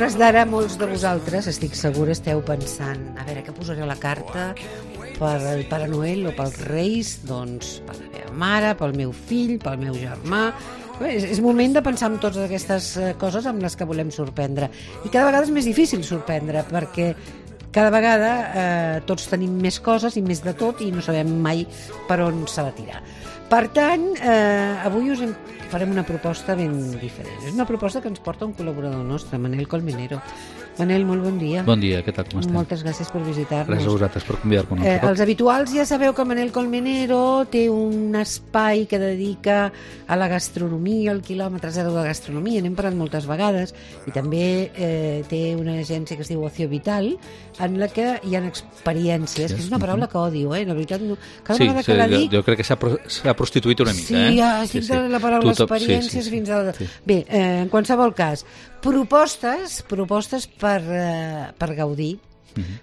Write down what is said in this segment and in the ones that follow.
hores d'ara molts de vosaltres, estic segura, esteu pensant a veure què posaré a la carta per el Pare Noel o pels Reis, doncs per la meva mare, pel meu fill, pel meu germà. És moment de pensar en totes aquestes coses amb les que volem sorprendre, i cada vegada és més difícil sorprendre perquè cada vegada tots tenim més coses i més de tot i no sabem mai per on s'ha de tirar. Per tant, avui farem una proposta ben diferent. És una proposta que ens porta un col·laborador nostre, Manel Colmenero. Manel, molt bon dia. Bon dia, què tal, com estem? Moltes gràcies per visitar-nos. Gràcies a vosaltres per convidar-nos. Els habituals ja sabeu que Manel Colmenero té un espai que dedica a la gastronomia, al quilòmetre zero de gastronomia, n'hem parlat moltes vegades, i també té una agència que es diu Ocio Vital, en la que hi ha experiències, que és una paraula que odio, la veritat, no. Cada vegada que la dic... Jo crec que s'ha prostituït una mica, Sí, ja estic de la paraula experiències fins al... Bé, en qualsevol cas, propostes per gaudir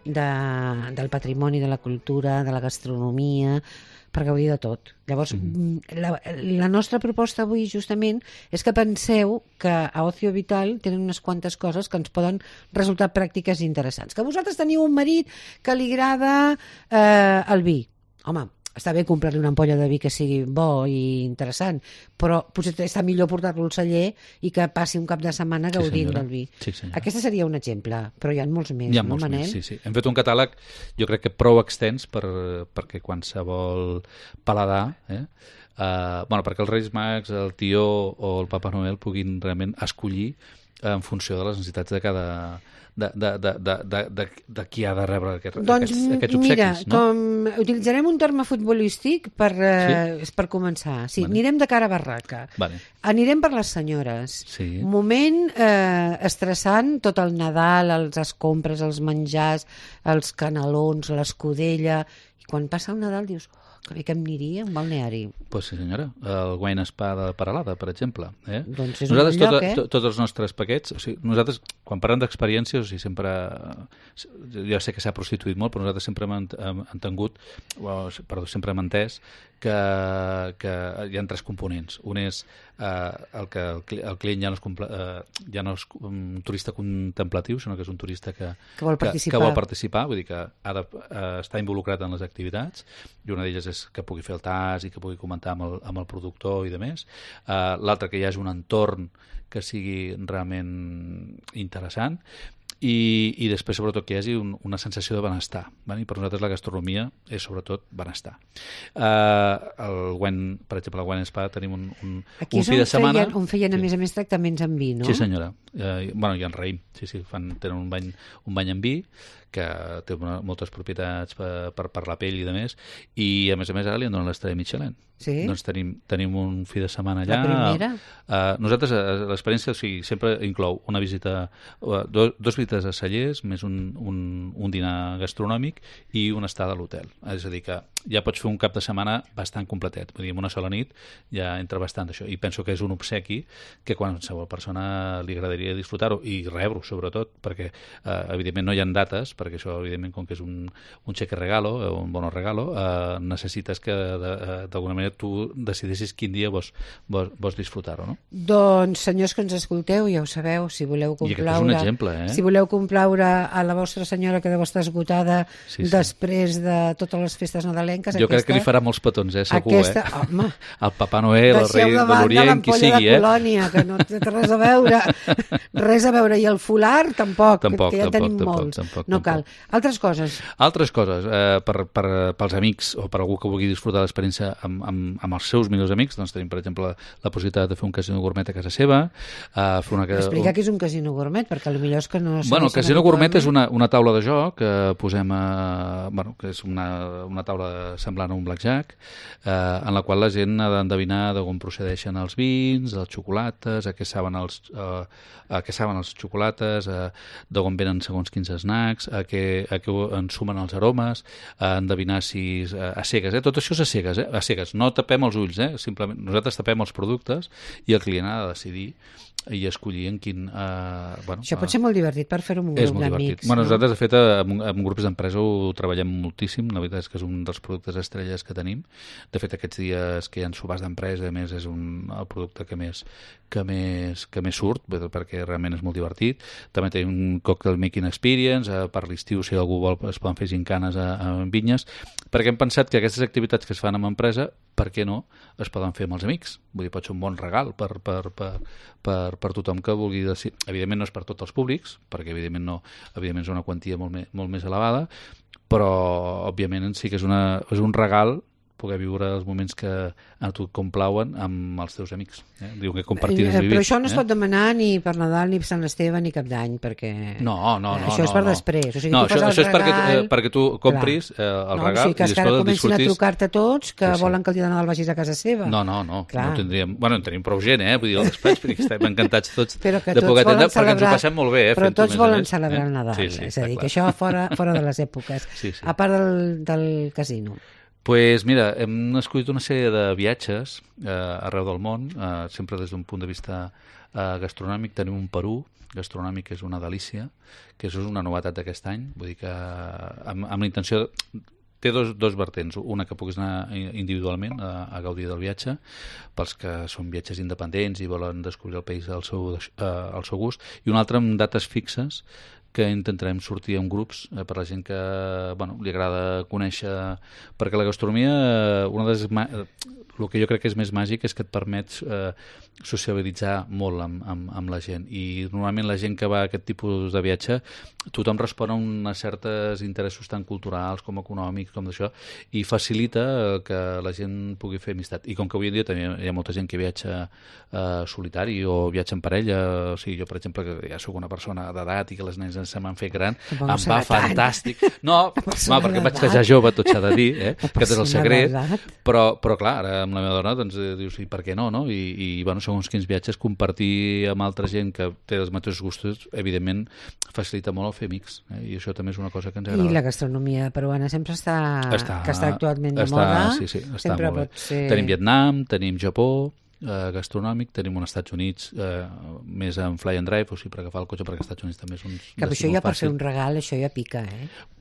del patrimoni, de la cultura, de la gastronomia, per gaudir de tot. Llavors, la nostra proposta avui justament és que penseu que a Ocio Vital tenen unes quantes coses que ens poden resultar pràctiques i interessants. Que vosaltres teniu un marit que li agrada el vi. Home, està bé comprar-li una ampolla de vi que sigui bo i interessant, però potser està millor portar-lo al celler i que passi un cap de setmana gaudint del vi. Sí, Aquest seria un exemple, però hi ha molts més, no, Manel? Sí. Hem fet un catàleg, jo crec que prou extens perquè qualsevol paladar, perquè els Reis Mags, el tió o el Papa Noel puguin realment escollir en funció de les necessitats de cada... de qui ha de rebre aquests obsequis. Mira, com utilitzarem un terme futbolístic per començar. Sí, anirem de cara a barraca. Anirem per les senyores. Moment estressant, tot el Nadal, les compres, els menjars, els canelons, l'escudella, i quan passa el Nadal dius... que bé que em aniria un balneari. Pues sí, senyora. El Wine Spa de Peralada, per exemple. Doncs és nosaltres, un lloc, tots els nostres paquets, nosaltres, quan parlem d'experiències, sempre... Jo sé que s'ha prostituït molt, però nosaltres sempre sempre hem entès que hi ha 3 components. Un és el que el client ja no és un turista contemplatiu, sinó que és un turista que vol participar, vull dir que ha d'estar involucrat en les activitats, i una d'elles és que pugui fer el tas i que pugui comentar amb el productor i demés. L'altre, que hi hagi un entorn que sigui realment interessant, i després, sobretot, que hi hagi una sensació de benestar. I per nosaltres la gastronomia és, sobretot, benestar. Per exemple, al Wine Spa tenim un fi de setmana... Aquí on feien, a més a més, tractaments amb vi, no? Sí, senyora. I en raïm. Tenen un bany amb vi, que té moltes propietats per la pell i de més, i a més ara li en donen l'estrella Michelin. Sí? Doncs tenim un fi de setmana allà. La primera? Nosaltres, l'experiència sempre inclou una visita, 2 visites a cellers, més un dinar gastronòmic i una estada a l'hotel. És a dir, que ja pots fer un cap de setmana bastant completet. Vull dir, en una sola nit ja entra bastant això. I penso que és un obsequi que qualsevol persona li agradaria disfrutar-ho, i rebre-ho, sobretot, perquè evidentment no hi ha dates, perquè això, evidentment, com que és un cheque regalo, un bono regalo, necessites que d'alguna manera tu decidissis quin dia vols disfrutar-ho, no? Doncs, senyors que ens escolteu, ja ho sabeu, si voleu complaure... I aquest és un exemple, Si voleu complaure a la vostra senyora, que deu estar esgotada després de totes les festes nadalenques... Jo crec que li farà molts petons, segur, Home, el Papa Noel, el rei de l'Orient, qui sigui, de Colònia, que no té res a veure. Res a veure. I el folar, tampoc, que ja tenim molts. No cal. Altres coses, pels amics, o per algú que vulgui disfrutar l'experiència amb els seus millors amics, doncs tenim, per exemple, la possibilitat de fer un casino gourmet a casa seva. Explica què és un casino gourmet, perquè potser és que no... Bueno, el casino gourmet és una taula de joc que posem que és una taula semblant a un blackjack, en la qual la gent ha d'endevinar d'on procedeixen els vins, els xocolates, a què saben els xocolates, d'on venen segons quins snacks, a què en sumen els aromes, a endevinar si a cegues, tot això és a cegues, no tapem els ulls, simplement nosaltres tapem els productes i el client ha de decidir i escollir en quin... Això pot ser molt divertit per fer-ho amb un grup d'amics. Bueno, nosaltres, de fet, amb grups d'empresa ho treballem moltíssim. La veritat és que és un dels productes estrelles que tenim. De fet, aquests dies que hi ha sobars d'empresa, a més, és el producte que més surt, perquè realment és molt divertit. També tenim un cocktail making experience, per l'estiu, si algú vol, es poden fer gincanes a vinyes, perquè hem pensat que aquestes activitats que es fan amb empresa, per què no, es poden fer amb els amics. Vull dir, pot ser un bon regal per tothom que vulgui decidir. Evidentment no és per tots els públics, perquè evidentment és una quantia molt més elevada, però òbviament sí que és un regal poder viure els moments que a tu et complauen amb els teus amics. Diu que compartir és vivir. Però això no es pot demanar ni per Nadal, ni per Sant Esteve, ni Cap d'Any, perquè... No. Això és per després. O sigui, això és perquè tu compris el regal i després el disfrutis. Que ara comencin a trucar-te tots que volen que el dia de Nadal vagis a casa seva. No tindríem... Bueno, en tenim prou gent, vull dir, al despatx, perquè estem encantats tots de poder atendre, perquè ens ho passem molt bé. Però tots volen celebrar el Nadal. És a dir, que això fora de les èpoques. A part del casino. Pues mira, hem escollit una sèrie de viatges arreu del món, sempre des d'un punt de vista gastronòmic. Tenim un Perú gastronòmic que és una delícia, que és una novetat d'aquest any, vull dir que amb la intenció... Té dos vertents, una que puguis anar individualment a gaudir del viatge, pels que són viatges independents i volen descobrir el país al seu gust, i una altra amb dates fixes que intentarem sortir en grups per la gent que li agrada conèixer, perquè la gastronomia, el que jo crec que és més màgic és que et permet sociabilitzar molt amb la gent, i normalment la gent que va a aquest tipus de viatge, tothom respon a uns certs interessos tant culturals com econòmics com d'això, i facilita que la gent pugui fer amistat. I com que avui en dia també hi ha molta gent que viatja solitari o viatja en parella, o sigui, jo per exemple que ja soc una persona d'edat i que les nenes se m'han fet gran, em va fantàstic. No, perquè em vaig casar jove, tot s'ha de dir, que és el secret, però clar, ara amb la meva dona doncs dius, i per què no? I segons quins viatges, compartir amb altra gent que té els mateixos gustos, evidentment facilita molt el fer amics, i això també és una cosa que ens agrada. I la gastronomia peruana sempre està actualment de moda. Sí, està molt bé. Tenim Vietnam, tenim Japó, gastronòmic, tenim uns Estats Units més en fly and drive, o sigui, per agafar el cotxe, perquè als Estats Units també és un que això ja per fer un regal, això ja pica,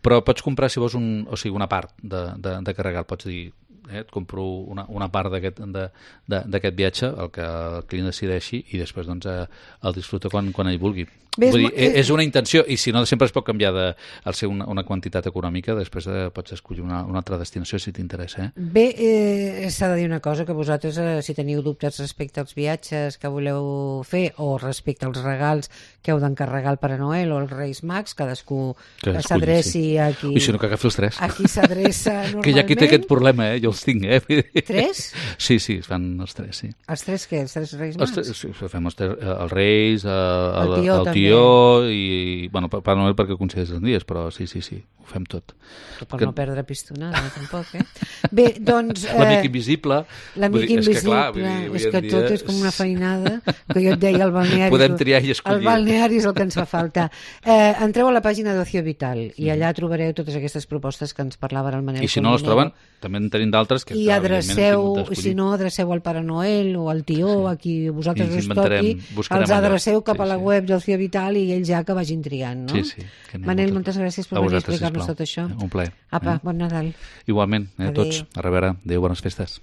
Però pots comprar, si vols, una part d'aquest regal, pots dir, et compro una part d'aquest viatge, el que el client decideixi, i després doncs el disfruta quan ell vulgui. Vull dir, és una intenció, i si no sempre es pot canviar al ser una quantitat econòmica, després pots escollir una altra destinació si t'interessa. Bé, s'ha de dir una cosa, que vosaltres si teniu dubtes respecte als viatges que voleu fer o respecte als regals que heu d'encarregar al Pare Noel o als Reis Mags, cadascú que s'adreci a qui... I si no, que agafi els tres. A qui s'adreça normalment. Que hi ha qui té aquest problema, jo els tinc, Tres? Sí, es fan els tres, sí. Els tres què? Els tres Reis Mags? Sí, fem els Reis, el tió i, Pare Noel perquè considers els dies, però sí, ho fem tot. Però per no perdre pistonada, tampoc, Bé, doncs... L'amic invisible. L'amic invisible, és que tot és com una feinada, que jo et deia al balneari... Podem triar i escollir. El balneari és el que ens fa falta. Entreu a la pàgina d'Ocio Vital i allà trobareu totes aquestes propostes que ens parlava el Manel. I si no les troben, també en tenim d'altres que... I adreceu, si no, adreceu al Pare Noel o al tió, a qui vosaltres us toqui, els adreceu cap a la web d'Ocio Vital i ells ja que vagin triant, no? Sí. Manel, moltes gràcies per venir a explicar-nos tot això. Un plaer. Apa, bon Nadal. Igualment, tots. A reveure. Adéu, bones festes.